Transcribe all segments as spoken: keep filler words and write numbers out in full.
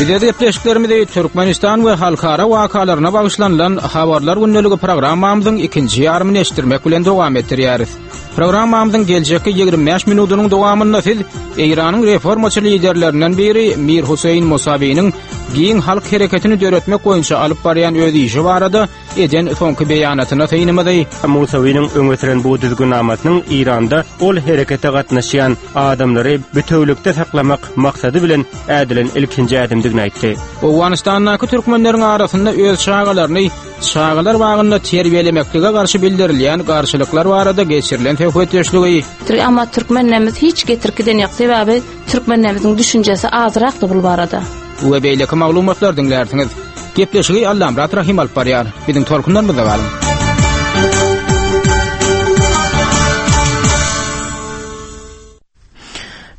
Bize gepleşiklerimizi Türkmenistan we halkara wakalaryna bagyşlanylan Habarlar gündeligi programmamyzyň ikinji ýarymyny eşitdirmek bilen dowam etdirýäris. Programmamyzyň geljekki ýigrimi bäş minudynyň dowamynda siz Eýranyň reformaçy liderlerinden biri Mir Hüseýin Musawiniň giň halk hereketini döretmek boýunça alyp barýan öz işi barada eden soňky beýanatyna synymyzy Musawiniň öňe süren bu düzgünnamasynyň Eýranda ol herekete gatnaşýan adamlary bütewlikde saklamak maksady bilen ädilen ilkinji ädimdigini aýtdy. Owganystandaky türkmenleriň arasynda öz çagalaryny çagalar bagynda terbiýelemeklige garşy bildirilýän garşylyklar barada geçirilen söhbetdeşligi. Ama türkmenlerimiz hiç getirkiden ýok, sebäbi türkmenlerimizin düşünjesi azrakdy bu barada. We beýleki maglumatlar diňlärsiňiz. Gepleşigi Allamyrat Rahim alyp barýar. Biziň tolkunlarymyzda galyň.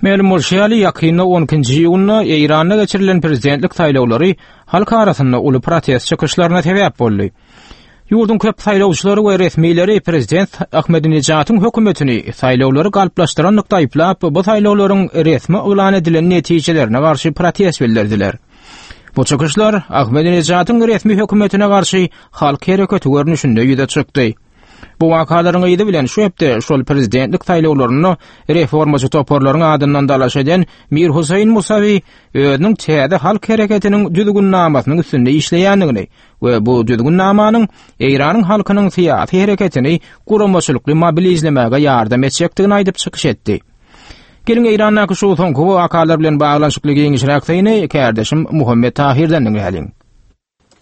Mälim bolşy ýaly, ýakynda on ikinji iýunda Eýranda geçirilen prezidentlik saýlawlary halk arasynda uly protest çykyşlaryna sebäp boldy. Ýurduň köp saýlawçylary we resmileri prezident Ahmedinejadyň hökümetini saýlawlary galplaşdyranlykda aýyplap, bu saýlawlaryň resmi yglan edilen netijelerine garşy protest bildirdiler. Bu çykyşlar Ahmedinejadyň resmi hökümetine garşy halk hereketi görnüşinde ýüze çykdy. Bu wakalaryň yzy bilen şu hepde şol prezidentlik saýlawlarynda reformaçy toparlaryň adyndan dalaş eden Mir Hüseýin Musawi özüniň täze halk hereketiniň düzgünnamasynyň üstünde işleýändigini we bu düzgünnamanyň Eýranyň halkynyň syýasy hereketini guramaçylykly mobilizlemäge ýardam etjekdigini aýdyp çykyş etdi. Geliň Eýrandaky şu soňky wakalar bilen baglanyşykly giňişräk syny kärdeşim Muhammet Tahirden diňläliň.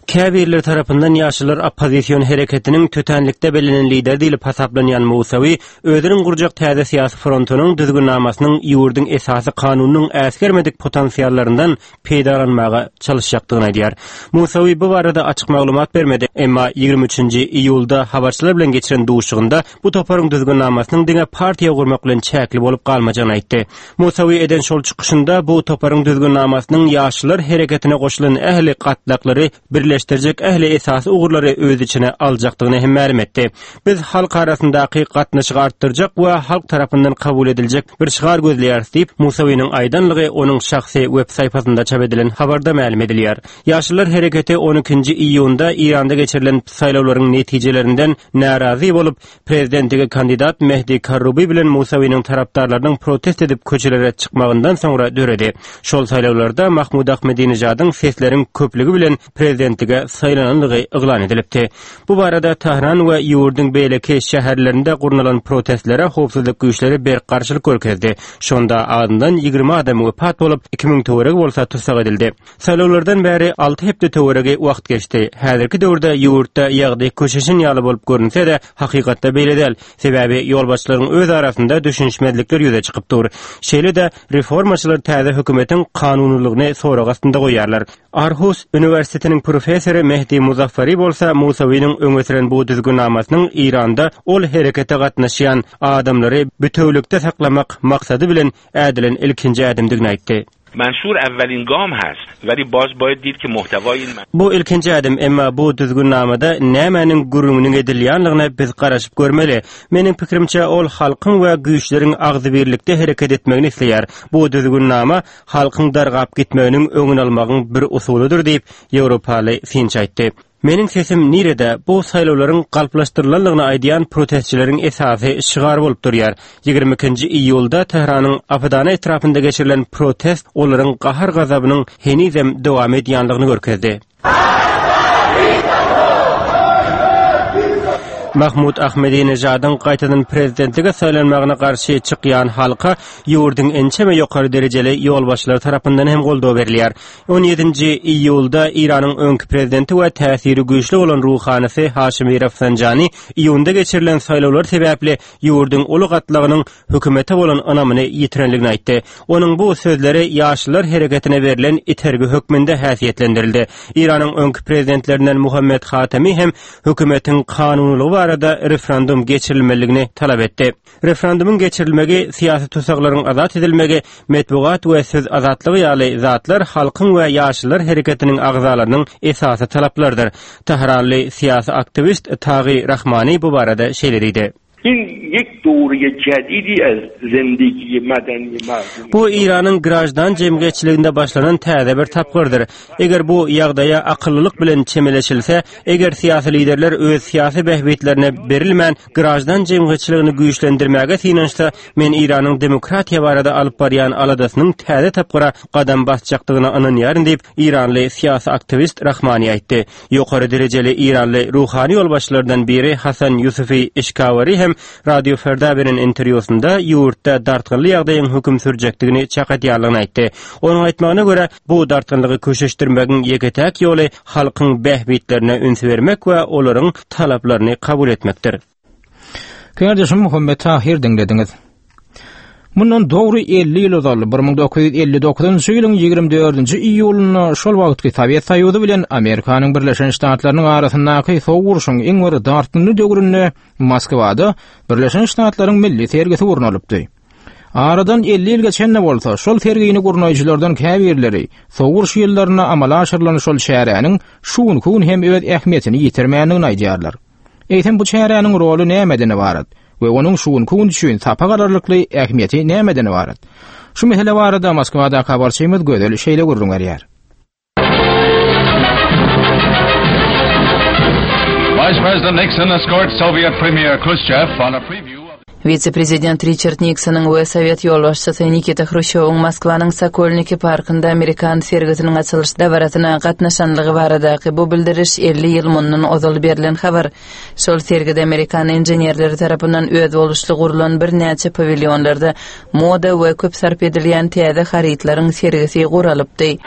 Käbirler tarapyndan ýaşlar oppozision hereketiniň tötänlikde bellenen lider diýlip hasaplanýan Musawi özüniň gurjak täze syýasy frontunyň düzgünnamasynyň ýurduň esasy kanunynyň äsgermedik potensiallaryndan peýdalanmaga çalışjakdygyny aýdýar. Musawi bu barada açyk maglumat bermedi, emma ýigrimi üçünji iýulda habarçylar bilen geçiren duşuşygynda bu toparyň düzgünnamasynyň diňe partiýa gurmak bilen çäkli bolup galmajagyny aýtdy. Musawi eden şol çykyşynda bu toparyň düzgünnamasynyň ýaşlar hereketine goşulan ähli gatlaklary birleşdirjek ähli esasy ugurlary öz içine aljakdygyny hem mälim etdi. Biz halk arasyndaky gatnaşygy artdyrjak we halk tarapyndan kabul ediljek bir şygar gözleýäris diýip, Musawiniň aýdanlygy onuň şahsy web saýfasynda çap edilen habarda mälim edilýär. Ýaşlar hereketi on ikinji iýunda Eýranda geçirilen saýlawlaryň netijelerinden närazy bolup, prezidentlige kandidat Mehdi Karrubi bilen Musawiniň tarapdarlarynyň protest edip köçelere çykmagyndan soňra döredi. Şol saýlawlarda Mahmud Ahmedinejadyň sesleriň köplügi bilen prezidentlige saýlananlygy yglan edilipdi. Bu barada Tahran we ýurduň beýleki şäherlerinde gurnalan protestlere howpsuzlyk güýçleri berk garşylyk görkezdi. Şonda azyndan ýigrimi adam wepat bolup, iki müň töweregi bolsa tussag edildi. Saýlawlardan bäri alty hepde töweregi wagt geçdi. Häzirki döwürde ýurtda ýagdaý köşeşen ýaly bolup görünse-de, hakykatda beýle däl. Sebäbi ýolbaşçylaryň öz arasynda düşünişmezlikler ýüze çykyp dur. Şeýle-de reformaçylar täze hökümetiň kanunylygyny sorag astynda goýýarlar. Arhus Üniversitetiniň professory Mehdi Muzaffari bolsa Musawiniň öňe süren bu düzgünnamasynyň Eýranda ol herekete gatnaşýan adamlary bütewlikde saklamak maksady bilen ädilen ilkinji ädimdigini aýtdy. Menşur awwalin gam hast, weli baz bayed did ki muhtevay in men- Bu ilkinji ädim, emma bu düzgünnamada nämäniň gürrüňiniň edilýänligine biz garaşyp görmeli. Meniň pikirimçe ol halkyň we güýçleriň agzybirlikde hereket etmegini isleýär. Bu düzgünnama halkyň dargap gitmeginiň öňüni almagyň bir usulydyr diýip Ýewropaly synçy aýtdy. Meniň sesim nirede bu saýlawlaryň galplaşdyrylanlygyny aýdýan protestçileriň esasy şygary bolup durýar. Ýigrimi ikinji iýulda Tähranyň Apadana etrapynda geçirilen protest olaryň gahar gazabynyň henizem dowam edýänligini görkezdi. Mahmud Ahmedinejadyň gaýtadan prezidentlige saýlanmagyna garşy çykýan halka ýurduň ençeme ýokary derejeli ýolbaşçylary tarapyndan hem goldaw berilýär. On ýedinji iýulda Eýranyň öňki prezidenti we täsiri güýçli bolan ruhanysy Haşimi Rafsanjani iýunda geçirilen saýlawlar sebäpli ýurduň uly gatlagynyň hökümete bolan ynamyny ýitirenligini aýtdy. Onuň bu sözleri ýaşlar hereketine berlen itergi hökmünde häsiýetlendirildi. Eýranyň öňki prezidentlerinden Muhammed Hatami hem hökümetiň kanunylygy barada referendum geçirilmeliligini talap etdi. Referendumyň geçirilmegi, syýasy tussaglaryň azat edilmegi, metbugat we söz azatlygy ýaly zatlar halkyň we ýaşlar hereketiniň agzalarynyň esasy talaplarydyr. Tahranly syýasy aktiwist Tagi Rahmani bu barada şeýle diýdi. این یک دوره جدیدی از زندگی مدنی مردم Bu Eýranyň graždan jemgyýetçiliginde başlanan täze bir tapgyrdyr. Eger bu ýagdaýa akyllylyk bilen çemeleşilse, eger syýasy liderler öz syýasy bähbitlerine berilmän graždan jemgyýetçiligini güýçlendirmäge synanyşsa, men Eýranyň demokratiýa barada alyp barýan aladasynyň täze tapgyra gadam basjakdygyna ynanýaryn diýip, Eýranly syýasy aktiwist Rahmani aýtdy. Ýokary derejeli Eýranly ruhany ýolbaşçylardan biri Hasan Ýusufi Eşkawari hem Radio Ferda beren interwýusynda ýurtda dartgynly ýagdaýyň höküm sürjekdigini çak edýärligini aýtdy. Onuň aýtmagyna görä, bu dartgynlygy köşeşdirmegiň ýeke-täk ýoly halkyň bähbitlerine üns bermek we olaryň talaplaryny kabul etmekdir. Kärdeşim Muhammet Tahir diňlediňiz. Mundan dogry elli ýyl ozal bir müň dokuz ýüz elli dokuzynjy ýylyň ýigrimi dördünji iýulynda şol wagtky Sowet Soýuzy bilen Amerikanyň Birleşen Ştatlarynyň arasyndaky sowuk urşuň iň bir dartgynly döwründe Moskwada Birleşen Ştatlaryň milli sergisi gurnalypdy. Aradan elli ýyl geçende bolsa, şol sergini gurnaýjylardan käbirleri sowuk uruş ýyllarynda amala aşyrylan şol çäräniň şu günki gün hem öz ähmiýetini ýitirmändigini aýdýarlar. Eýsem bu çäräniň roly nämeden ibarat we onuň şu günki gün üçin sapak alarlykly ähmiýeti nämeden ibarat? Şu mesele barada Moskwada habarçymyz Gözel şeýle gürrüň berýär. Vice President Nixon escorts Soviet Premier Khrushchev on a preview of Wise-prezident Richard Nixonyň we Sowet ýolbaşçysy Nikita Hruşýowyň Moskwanyň Sokolniki parkynda Amerikan sergisiniň açylyş dabarasyna gatnaşanlygy baradaky bu bildiriş elli ýyl mundan ozal berlen habar. Şol sergide Amerikan inženerleri tarapyndan özboluşly gurulan birnäçe pawilyonlarda moda we köp sarp edilýän täze harytlaryň sergisi guralypdy.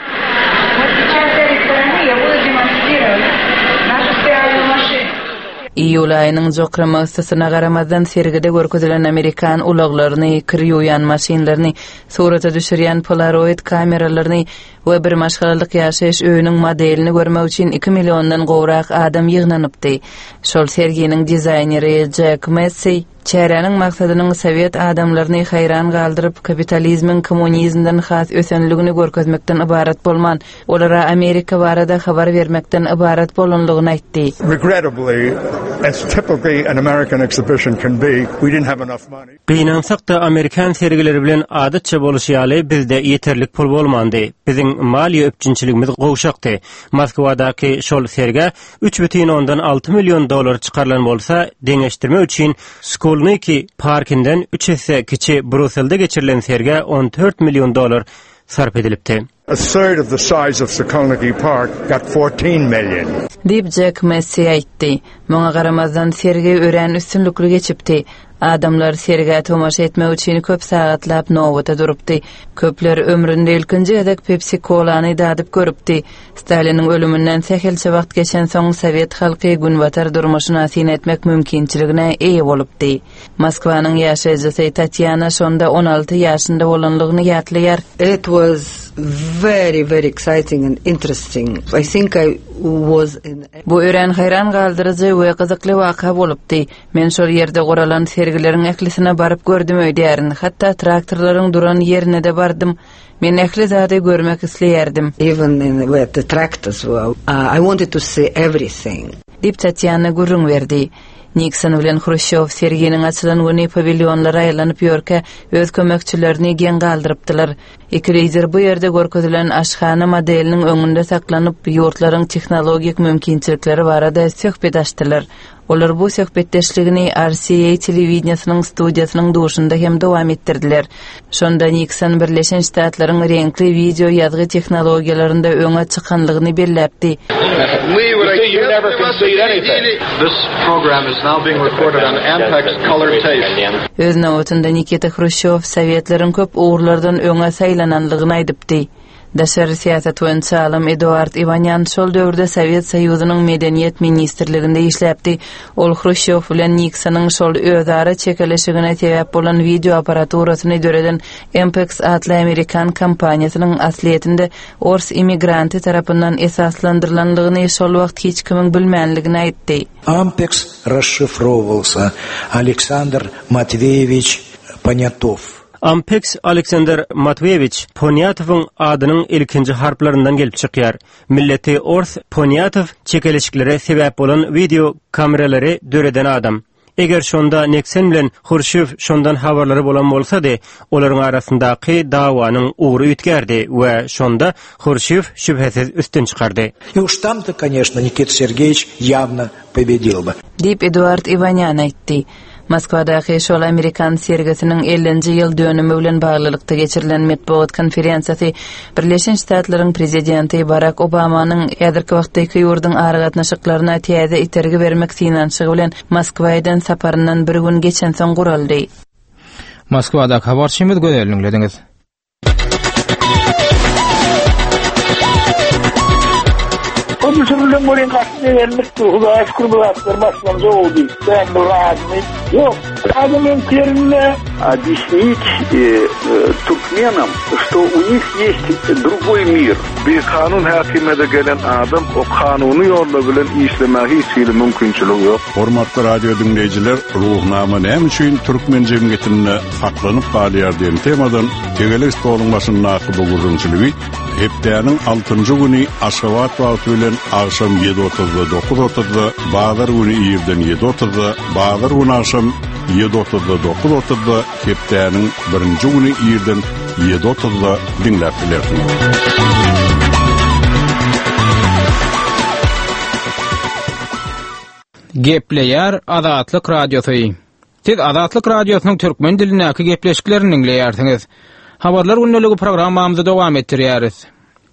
Iýul aýynyň jokrama yssysyna garamazdan sergide görkezilen Amerikan ulaglaryny, kir ýuwýan maşynlaryny, surata düşürýän Polaroid kameralaryny we bir maşgalalyk ýaşaýyş öýüniň modelini görmek üçin iki milliondan gowrak adam ýygnanypdy. Şol serginiň dizaýneri Jack Messi çäräniň maksadynyň Sowet adamlaryny haýran galdyryp, kapitalizmiň kommunizmden has ösenligini görkezmekden ybarat bolman, olara Amerika barada habar bermekden ybarat bolanlygyny aýtdy. Regrettably, as typically an American exhibition can be, we didn't have enough money. Gynansak da Amerikan sergileri bilen adatça boluşy ýaly bizde ýeterlik pul bolmandy. Biziň maliýe üpjünçiligimiz gowşakdy. Moskwadaky şol sergä üç bütin ondan alty million dollar çykarylan bolsa, deňeşdirme üçin Skolniki parkinden üç esse kiçi Bruselde geçirilen sergä on dört million dollar sarp edilipdi. A third of the size of Sokolniki Park got fourteen million. Diýip Jack Messi aýtdy. Muňa garamazdan sergi örän üstünlikli geçipdi. Adamlar sergä tomaşa etmek üçin köp sagatlap nowata durupdy. Köpler ömründe ilkinji gezek Pepsi Colany dadyp görüpdi. Staliniň ölüminden sähelçe wagt geçen soň Sowet halky günbatar durmuşyna syn etmek mümkinçiligine eýe bolupdy. Moskwanyň ýaşaýjysy Tatýana şonda on alty ýaşynda bolanlygyny ýatlaýar. It was very, very exciting and interesting. I think I was in Bu örän haýran galdyryjy we gyzykly waka bolupdy. Men şol ýerde guralan sergileriň ählisine baryp gördüm öýdärin. Hatda traktorlaryň duran ýerine de bardym. Men ähli zady görmek isleýärdim. Even in where the tractors were, uh, I wanted to see everything. Diýip Tatýana gürrüň berdi. Nixon bilen Hruşýow serginiň açylan güni pawilyonlara aýlanyp ýörkä öz kömekçilerini geň galdyrypdylar. Iki lider bu ýerde görkezilen aşhana modeliniň öňünde saklanyp, ýurtlaryň tehnologik mümkinçilikleri barada söhbet açdylar. Olar bu söhbetdeşligini R C A telewideniýasynyň studiýasynyň duşunda hem dowam etdirdiler. Şonda Nixon Birleşen Ştatlaryň reňkli video ýazgy tehnologiýalarynda öňe çykanlygyny belläpdi. You never concede anything. This program is now being recorded on Ampex color tape. Öz nowatynda Nikita Hruşýow Sowetlerin köp ugurlardan öňe saýlananlygyny aýdypdy. Daşary syýasat boýunça alym Eduard Iwanýan şol döwürde Sowet Soýuzynyň Medeniýet Ministrliginde işläpdi. Ol Hruşýow bilen Nixonyň şol özara çekeleşigine sebäp bolan video apparaturasyny döreden Ampex atly Amerikan kompaniýasynyň aslyýetinde ors immigranty tarapyndan esaslandyrylanlygyny şol wagt hiç kimiň bilmänligini aýtdy. Ampex расшифровывался Александр Матвеевич Понятов. Ampex Alexander Matveýewich Ponýatowyň adynyň ilkinji harplaryndan gelip çykýar. Milleti ors Ponýatow çekeleşiklere sebäp bolan video kameralary döreden adam. Eger şonda Nikson bilen Hruşýow şondan habarlary bolan bolsady, olaryň arasyndaky dawanyň ugry üýtgärdi we şonda Hruşýow şübhesiz üstün çykardy. И уж там-то, конечно, Никита Сергеевич явно победил бы. Diýip Eduard Iwanýan aýtdy. Moskwadaky şol Amerikan sergisiniň ellinji ýyl dönümi bilen baglylykda geçirilen metbugat konferensiýasy Birleşen Ştatlaryň prezidenti Barak Obamanyň häzirki wagtdaky ýurduň aragatnaşyklaryna täze itergi bermek synanyşygy bilen Moskwa eden saparyndan bir gün geçensoň guraldy. Moskwadaky habarçymyz Gözelini diňlediňiz. O düşürülen bolýan gaty begenlikdi. Hudaýa şükür bu zatlar başlandy oldu. Ben bu radymy? Ýok. Adamın yerine объяснить э, э, туркменам, что у них есть другой мир. Bir kanun häkimede gelen adam o kanuny ýolla bilen işlemäge hiç hili mümkinçiligi ýok. Hormatly radio diňleýjiler, Ruhnama näme üçin türkmen jemgyýetinde saklanyp galýar diýen temadan tegelek stoluň başyndaky bu gürrüňçiligi hepdäniň altynjy güni Aşgabat wagty bilen agşam ýedi otuzda dokuz otuzda, bazar güni irden ýedi otuzda, bazar güni agşam ýedi otuzda dokuz otuzda, hepdäniň birinji güni irden ýedi otuzda diňläp bilersiňiz. Gepleýär Azatlyk Radiosy. Siz Azatlyk Radiosynyň türkmen dilindäki gepleşiklerini diňleýärsiňiz. Habarlar gündeligi programmamyzy dowam etdirýäris.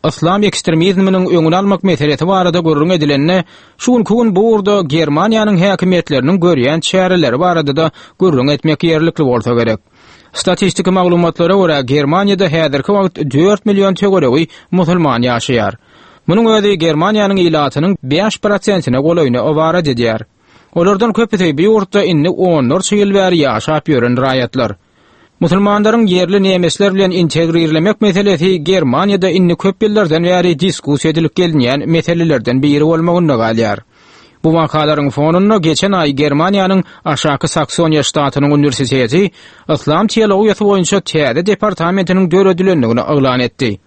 Islam ekstremizminiň öňüni almak meselesi barada gürrüň edilende, şu günki gün bu ugurda Germaniýanyň häkimiýetleriniň görýän çäreleri barada da gürrüň etmek ýerlikli bolsa gerek. Statistiki maglumatlara görä Germaniýada häzirki wagt dört million töweregi musulman ýaşaýar. Munuň özi Germaniýanyň ilatynyň bäş prosentine golaýyny ybarat edýär. Olardan köpüsi bu ýurtda indi onlarça ýyl bäri ýaşap ýören raýatlar. Musulmanlaryň ýerli nemesler bilen integrirlemek meselesi Germaniýada indi köp ýyllardan bäri diskussiýa edilip gelinýän meselelerden biri bolmagynda galýar. Bu wakalaryň fonunda geçen aý Germaniýanyň Aşaky Saksoniýa ştatynyň uniwersiteti Islam teologiýasy boýunça täze departamentiniň döredilendigini yglan etdi.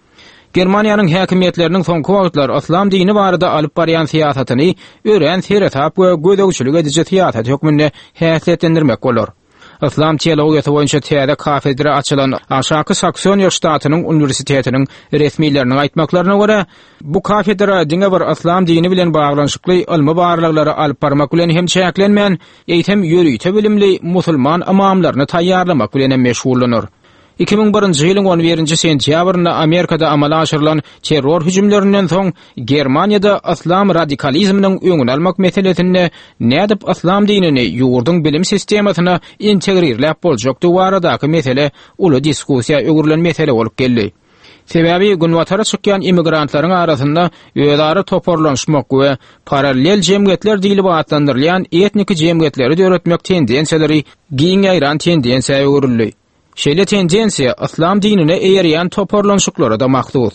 Germaniýanyň häkimiýetleriniň soňky wagtlar Islam dini barada alyp barýan syýasatyny örän seresap we gözegçilik ediji syýasat hökmünde häsiýetlendirmek bolar. Islam teologiýasy boýunça täze kafedra açylan Aşaky Saksoniýa ştatynyň uniwersitetiniň resmileriniň aýtmaklaryna görä, bu kafedra diňe bir Islam dini bilen baglanyşykly ylmy barlaglary alyp barmak bilen hem çäklenmän, eýsem ýörite bilimli musulman imamlaryny taýýarlamak bilen hem meşgullanar. Iki müň birinji ýylyň on birinji sentýabrynda Amerikada amala aşyrylan terror hüjümlerinden soň Germaniýada Islam radikalizminiň öňüni almak meselesinde nädip Islam dinini ýurduň bilim sistemasyna integrirläp boljakdygy baradaky mesele uly diskussiýa öwrülen mesele bolup geldi. Sebäbi günbatara çykýan immigrantlaryň arasynda özara toparlanşmak we parallel jemgyýetler diýlip atlandyrylýan etniki jemgyýetleri döretmek tendensiýalary giň ýaýran tendensiýa öwrüldi. Şeýle tendensiýa Islam dinine eýerýän toparlanşyklara da mahsus.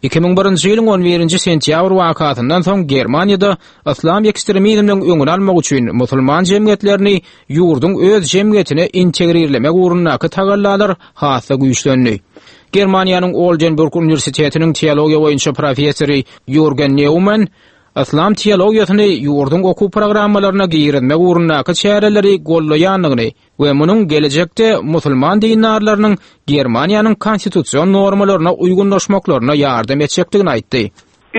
Iki müň birinji ýylyň on birinji sentýabr wakasyndan soň Germaniýada Islam ekstremizminiň öňüni almak üçin musulman jemgyýetlerini ýurduň öz jemgyýetine integrirlemek ugrundaky tagallalar has-da güýçlendi. Germaniýanyň Oldenburg Uniwersitetiniň teologiýa boýunça professory Jürgen Neumann Islam teologiýasyny ýurduň okuw programmalaryna girizmek ugrundaky çäreleri gollaýandygyny we munuň gelejekde musulman dindarlarynyň Germaniýanyň konstitusion normalaryna uýgunlaşmaklaryna ýardam etjekdigini aýtdy.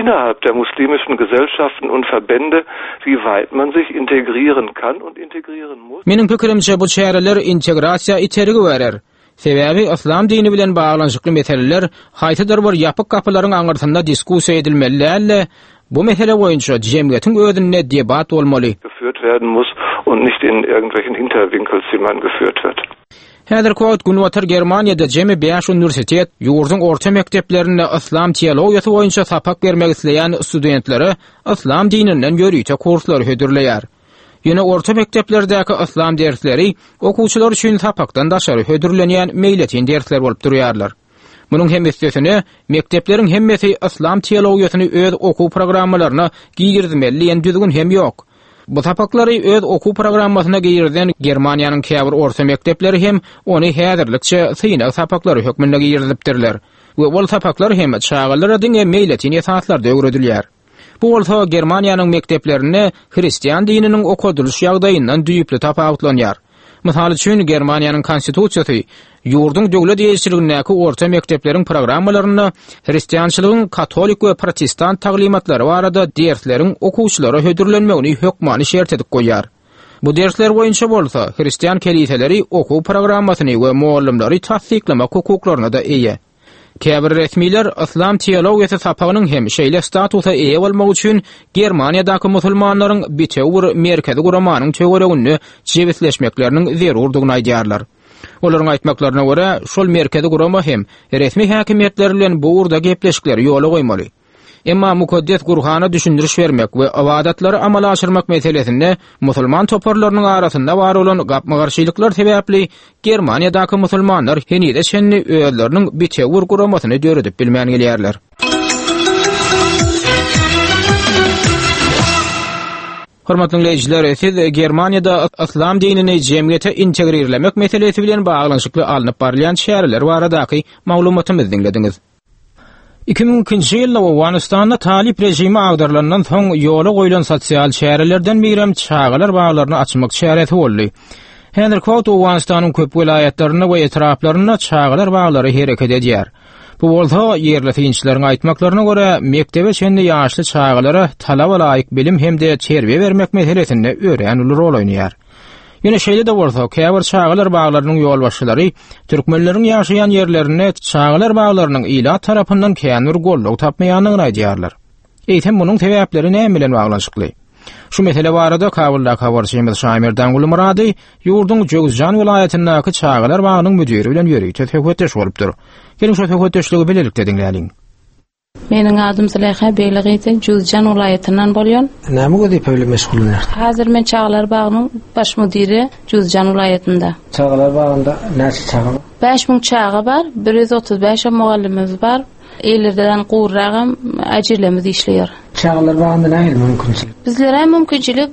Innerhalb der muslimischen Gesellschaften und Verbände, wie weit man sich integrieren kann und integrieren muss. Meniň pikirimçe bu çäreler integrasiýa itergi berer. Sebäbi Islam dini bilen baglanyşykly meseleler haýsydyr bir ýapyk gapylaryň aňyrsynda diskussiýa edilmeli däl-de, bu mesele boýunça jemgyýetiň özünde debat bolmaly. Geführt werden muss und nicht in irgendwelchen Hinterwinkelzimmern geführt wird. Häzirki wagt Günbatar Germaniýada jemi bäş uniwersitet ýurduň orta mekdeplerinde Islam teologiýasy boýunça sapak bermek isleýän studentlere Islam dininden ýörite kurslary hödürleýär. Ýöne orta mekdeplerdäki Islam dersleri okuwçylar üçin sapakdan daşary hödürlenýän meýletin dersler bolup durýarlar. Munuň hem üstesine mekdepleriň hemmesi Islam teologiýasyny öz okuw programmalaryna girizmeli diýen düzgün hem ýok. Bu sapaklary öz okuw programmasyna girizen Germaniýanyň käbir orta mekdepleri hem ony häzirlikçe synag sapaklary hökmünde girizipdirler. We ol sapaklar hem çagalara diňe meýletin esaslarda öwredilýär. Bu bolsa Germaniýanyň mekdeplerinde hristian dininiň okadylyş ýagdaýyndan düýpli tapawutlanýar. Mysal üçin Germaniýanyň konstitusiýasy ýurduň döwlet eýeçiligindäki orta mekdepleriň programmalarynda hristiançylygyň katolik we protestant taglymatlary barada dersleriň okuwçylara hödürlenmegini hökmany şert edip goýýar. Bu dersler boýunça bolsa hristian keliseleri okuw programmasyny we muallimleri tassyklamak hukuklaryna da eýe. Käbir resmiler islam teologiýasy sapagynyň hem şeýle statusa eýe bolmak üçin Germaniýadaky musulmanlaryň bitewi bir merkezi guramanyň töwereginde jebisleşmekleriniň zerurdygyny aýdýarlar. Olaryň aýtmaklaryna görä, şol merkezi gurama hem resmi häkimiýetler bilen bu ugurda gepleşikleri ýola goýmaly. Emma mukaddes Gurhana düşündiriş bermek we ibadatlary amala aşyrmak meselesinde musulman toparlarynyň arasynda bar bolan gapma-garşylyklar sebäpli Germaniýadaky musulmanlar henize çenli özleriniň bitewi bir guramasyny döredip bilmän gelýärler. Hormatly dinleýjiler, siz Germaniýada islam dinini jemgyýete integrirlemek meselesi bilen baglanyşykly alnyp barylýan çäreler baradaky maglumatymyzy diňlediňiz. iki müň ikinji ýylda Owganystanda Talip režimi agdarylandan soň ýola goýlan sosial çärelerden birem çagalar baglaryny açmak çäresi boldy. Häzirki wagt Owganystanyň köp welaýatlarynda we etraplarynda çagalar baglary hereket edýär. Bu bolsa ýerli synçylaryň aýtmaklaryna görä mekdebe çenli ýaşly çagalara talaba laýyk bilim hem-de terbiýe bermek meselesinde örän uly rol oýnaýar. Ýöne şeýle-de bolsa, käbir çagalar baglarynyň ýolbaşçylary türkmenleriň ýaşaýan ýerlerinde çagalar baglarynyň ilat tarapyndan kän bir goldaw tapmaýandygyny aýdýarlar. Eýsem munuň sebäpleri näme bilen baglanyşykly? Şu mesele barada Kabuldaky habarçymyz Şaýmerdan Gulmurady ýurduň Jöwüzjan welaýatyndaky çagalar bagynyň müdiri bilen ýörite söhbetdeş bolupdyr. Geliň şu söhbetdeşligi bilelikde diňläliň. Meniň adym Züleyha Beýligyzy, Jüzjan welaýatyndan bolýan. Näme wezipe bilen meşgullanýarsyň? Häzir men çagalar bagynyň baş müdiri Jüzjan welaýatynda. Çagalar bagynda näçe çaga bar? Bäş müň çaga bar, bir ýüz otuz bäş mugallymymyz bar. Ellerden gurragam ajilemiz işleýär. Çagalar bagynda nähili mümkinçilik? Bizlere mümkinçilik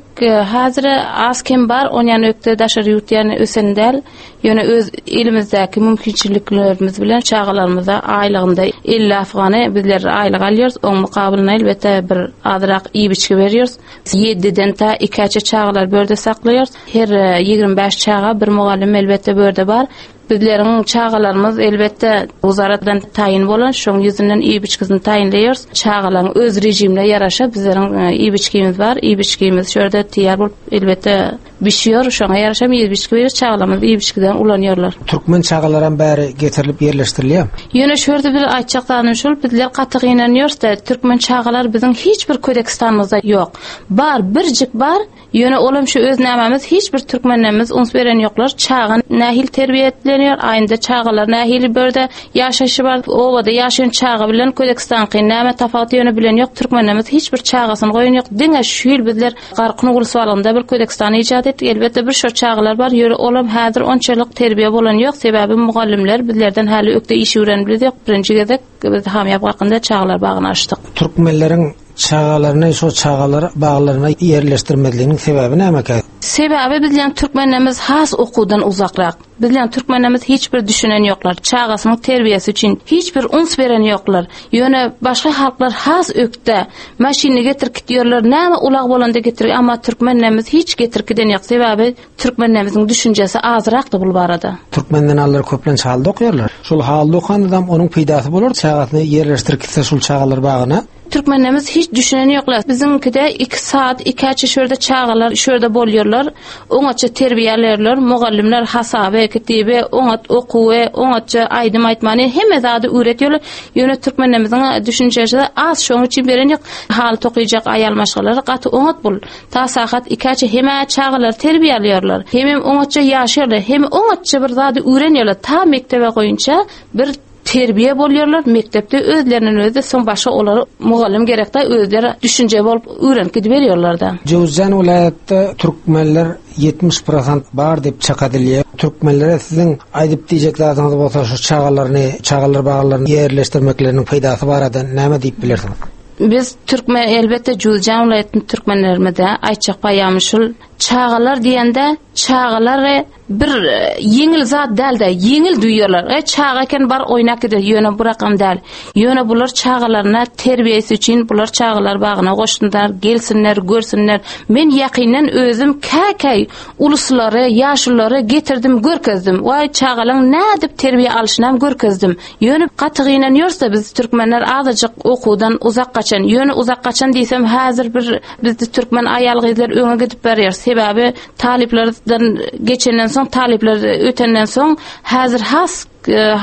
häzir az kem bar, onýan ökde daşary ýurt ýany ösen däl. Ýöne öz elimizdäki mümkinçiliklerimiz bilen çagalarymyza aýlygynda elli afgany bizler aýlyk alýarys. Oň mukabylyna elbetde bir azrak iýip-içgi berýäris. Ýediden ta ikäçe çagalar börde saklaýarys. Her ýigrimi bäş çaga bir mugallym elbetde börde bar. Bizleriň çagalarymyz elbetde uzaratdan taýyn bolan, şoň ýüzünden iýip-içgisini taýynlaýarys. Çagalaryň öz rejimine ýaraşa bizleriň iýip-içgimiz bar. Iýip-içgimiz şu ýerde taýýar bolup elbetde bişiyor. Şoňa ýaraşa iýip-içgi berýäris. Çagalarymyz iýip-içgiden ulanýarlar. Türkmen çagalaram bäri getirilip ýerleşdirilýär. Ýöne şu ýerde bir aýtjak zadym şol, bizler gaty gynanýarys-da, türkmen çagalar biziň hiç bir Ködekistanymyzda ýok. Bar, birjik bar. Ýöne olam şu öz nämämiz hiç bir türkmenlerimiz uns beren ýoklar. Çaga nähili terbiýe edilýär, aýynda çagalar nähili börde ýaşaýşy bar, obada ýaşaýan çaga bilen Ködekistanky näme tapawuty ýöne bilen ýok. Türkmenlerimiz hiç bir çagasyny goýan ýok. Diňe şu ýyl bizler Garkyn Gulswalynda bir Ködekistan icat etdik. Elbetde bir şo çagalar bar, ýöne olam häzir onçalyk terbiýe bolan ýok. Sebäbi mugallimler bizlerden häli ökde iş öwrenip biz ýok. Birinji gezek biz Hamyýap Garkynda çagalar bagyny açdyk. Türkmenleriň çagalaryny şo çagalar baglaryna ýerleşdirmezliginiň sebäbi nämekä? Sebäbi bizleň türkmenlerimiz has okuwdan uzakrak. Bizleň türkmenlerimiz hiç bir düşünen ýoklar. Çagasynyň terbiýesi üçin hiç bir uns beren ýoklar. Ýöne başga halklar has ökde. Maşyny getirip gitýärler. Näme ulag bolanda getirip, amma türkmenlerimiz hiç getirip giden ýok. Sebäbi türkmenlerimizin düşünjesi azrakdy bu barada. Türkmenden allar köplenç halda okýarlar. Şol halda okan adam onuň peýdasy bolar, çagasyny ýerleşdirip gitse şol çagalar bagyna. Türkmenlerimiz hiç düşünen ýoklar. Biziňkide iki saat, iki açı şurada çagalar şurada bolýarlar. Oňatça terbiýelerler, mugallimler hasaby, kitibi, oňat okuwy, oňatça aýdym aýtmany hemme zady öwretýärler. Ýöne türkmenlerimizin düşünjesi az, şonuň üçin beren ýok. Hal tokyjak aýal maşgalalar gaty oňat bul. Ta saat iki açı hemme çagalar terbiýelärler. Hemem oňatça ýaşarlar, hem oňatça bir zady öwrenýärler. Ta mektebe goýunça bir terbiýe bolýarlar. Mektepde özleriniň özi soň başga olara mugallim gerekde özleri düşünje bolup öwrenip gidip berýärler da. Jöwüzjan welaýatda türkmenler ýetmiş prosent bar diýip çak edilýär. Türkmenlere siziň aýdyp diýjek zadyňyz bolsa şu çagalaryny, çagalar baglaryny ýerleşdirmekleriniň peýdasy barada näme diýip bilersiňiz? Biz türkmen elbetde Jöwüzjan welaýatynyň türkmenlerimizde aýtjak paýamy şul Çagalar diýende çagalary bir ýeňil zat däl-de, ýeňil duýarlar. E çaga eken bar oýnak gider, ýöne bu rakam däl. Ýöne bular çagalaryna terbiýesi üçin bular çagalar bagyna goşsunlar, gelsinler, görsünler. Men ýakyndan özüm käkäý uluslary, ýaşulary getirdim, görkezdim. Waý çagalaň nädip terbiýe alşynam görkezdim. Ýöne gaty gynanýarsa biz türkmenler azajyk okuwdan uzak gaçan. Ýöne uzak gaçan diýsem häzir bir bizde türkmen aýal gyzlar öňe gidip barýar. Sebäbi talyplardan geçenden soň, talyplar ötenden soň häzir has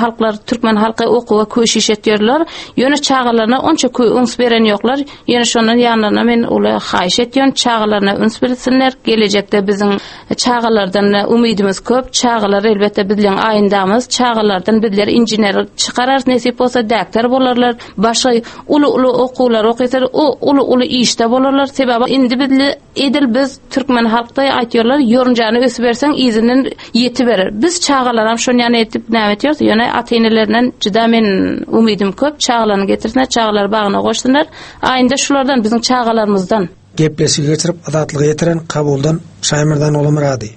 halklar türkmen halky okuwa köşiş etýärler. Ýöne çagalaryna onça üns beren ýoklar. Ýöne şondan ýanlaryna men uly haýyş etýän, çagalaryna üns bersinler. Gelejekde biziň çagalardan umydymyz köp. Çagalar elbetde bizleň aýyndamyz. Çagalardan bizler inžener çykararys, nesip bolsa doktor bolarlar. Başga uly-uly okuwlar okysar, o uly-uly işde bolarlar. Sebäbi indi bizle edil biz türkmen halkda aýtýarlar, ýorunjany ösüp berseň izinden ýeti berer. Biz çagalaram şony ýany etip näme etýärdi? Ýöne ata-enelerinden juda men umydym köp. Çagalaryny getirsinler, çagalar bagyna goşsunlar. Aýynda şulardan biziň çagalarymyzdan. Gepleşigi geçirip Azatlyga ýetiren Kabuldan Şaýmyrdan Olamyrady.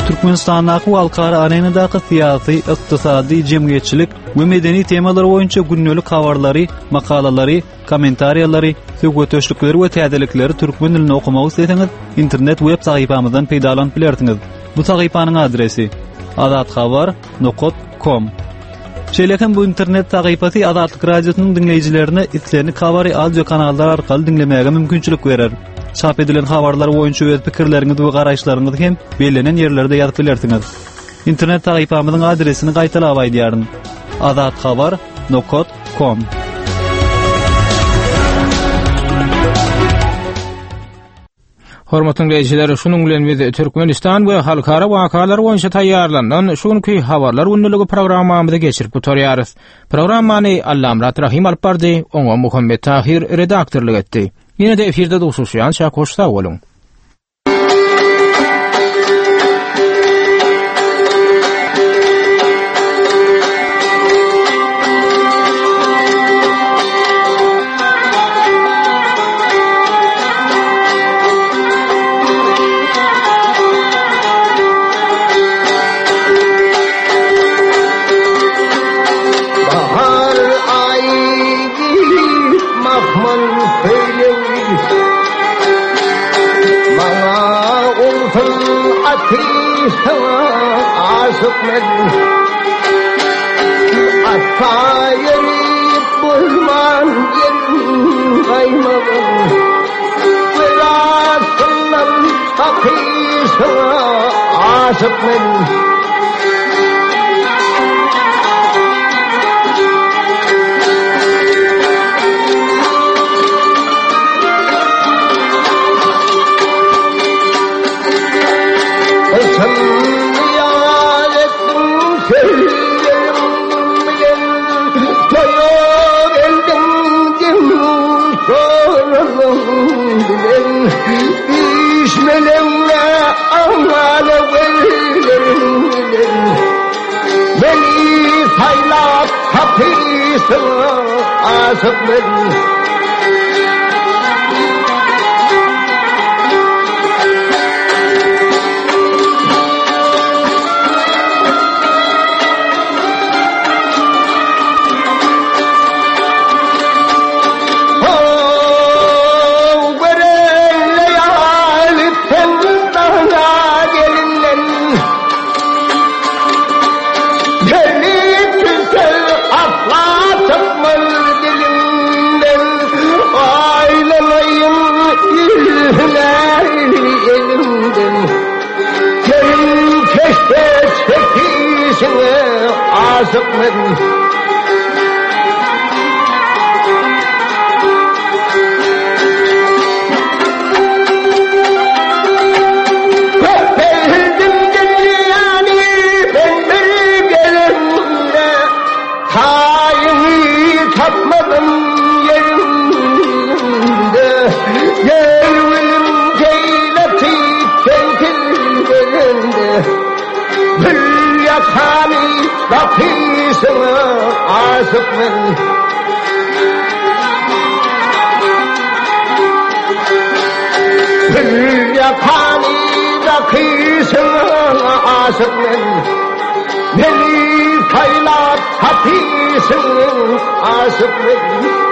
Türkmenistandaky we halkara arenadaky syýasy, ykdysady, jemgyýetçilik we medeni temalar boýunça gündelik habarlary, makalalary, kommentariýalary, söhbetdeşlikleri we täzelikleri türkmen dilinde okumak isleseňiz, internet web sahypamyzdan peýdalanyp bilersiňiz. Bu sahypanyň adresi azathabar nokta com. Şeýle hem bu internet sahypasy Azatlyk Radiosynyň diňleýjilerine islendik habary audio kanallar arkaly diňlemäge mümkinçilik berer. Çap edilen habarlar boýunça öz pikirleriňizi we garaýyşlaryňyzy hem bellenen ýerlerde ýazyp bilersiňiz. Internet sahypamyzyň adresini gaýtalap aýdýaryn. azathabar nokta com. Hormatly dinleýjiler, şunuň bilen biz Türkmenistan we halkara wakalar boýunça taýýarlanan şu günki habarlar günlügi programmamyzy geçirip gutarýarys. Programmany Allamyrat Rahim alyp bardy, oňa Muhammet Tahir redaktorlyk etdi. Ýene de efirde duşuşýança hoş sag boluň. Bahar ayı mahmal peylewli Maňa olsun ateşe aşık men Asla yerip bozman yerim kaymagın Velasından ateşe aşık men Beni saylap kapısına aşık ben Aşık men Köpeldim dünyanı ben bir gelimde Tayını tapmadım yerimde Gelvilim ceyleti kentillerinde Bir yakanı kapısına aşık men Bir yakany da kysyň aşyk men. Meni saýlap tapyşyň aşyk men.